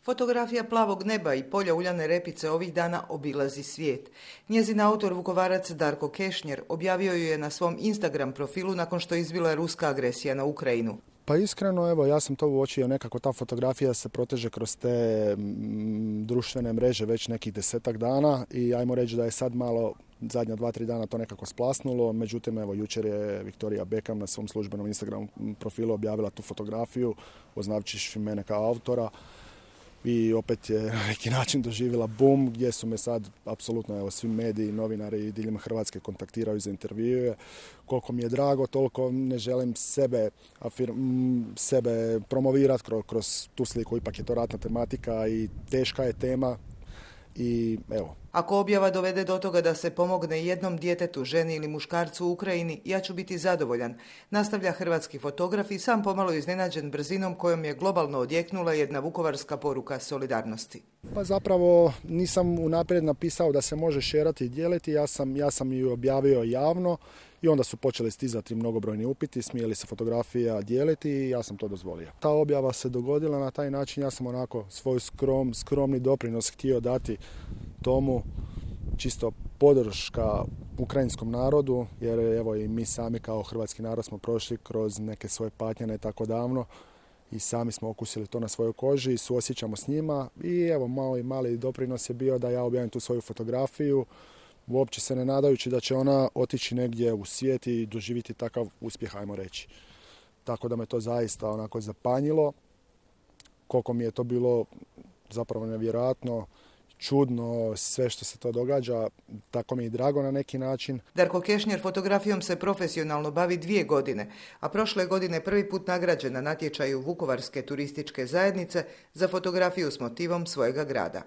Fotografija plavog neba i polja uljane repice ovih dana obilazi svijet. Njezin autor Vukovarac Darko Kešnjer objavio ju je na svom Instagram profilu nakon što je izbila ruska agresija na Ukrajinu. Pa iskreno, evo, ja sam to uočio, nekako ta fotografija se proteže kroz te društvene mreže već nekih 10 dana i ajmo reći da je sad malo zadnja 2-3 dana to nekako splasnulo. Međutim, evo, jučer je Victoria Beckham na svom službenom Instagram profilu objavila tu fotografiju, označivši mene kao autora. I opet je na neki način doživjela boom gdje su me sad apsolutno evo, svi mediji, novinari diljem Hrvatske kontaktiraju za intervjue. Koliko mi je drago, toliko ne želim sebe promovirati kroz tu sliku. Ipak je to ratna tematika i teška je tema. I evo. Ako objava dovede do toga da se pomogne jednom djetetu, ženi ili muškarcu u Ukrajini, ja ću biti zadovoljan, nastavlja hrvatski fotograf i sam pomalo iznenađen brzinom kojom je globalno odjeknula jedna vukovarska poruka solidarnosti. Pa zapravo nisam unaprijed napisao da se može šerati i dijeliti, ja sam ju objavio javno i onda su počeli stizati mnogobrojni upiti, smije li se fotografija dijeliti i ja sam to dozvolio. Ta objava se dogodila na taj način, ja sam onako svoj skromni doprinos htio dati tomu, čisto podrška ukrajinskom narodu, jer evo i mi sami kao hrvatski narod smo prošli kroz neke svoje patnje ne tako davno i sami smo okusili to na svojoj koži i suosjećamo s njima i evo mali doprinos je bio da ja objavim tu svoju fotografiju, uopće se ne nadajući da će ona otići negdje u svijet i doživjeti takav uspjeh, ajmo reći. Tako da me to zaista onako zapanjilo, koliko mi je to bilo zapravo nevjerojatno, čudno, sve što se to događa, tako mi je drago na neki način. Darko Kešnjer fotografijom se profesionalno bavi 2 godine, a prošle godine prvi put nagrađen na natječaju Vukovarske turističke zajednice za fotografiju s motivom svojega grada.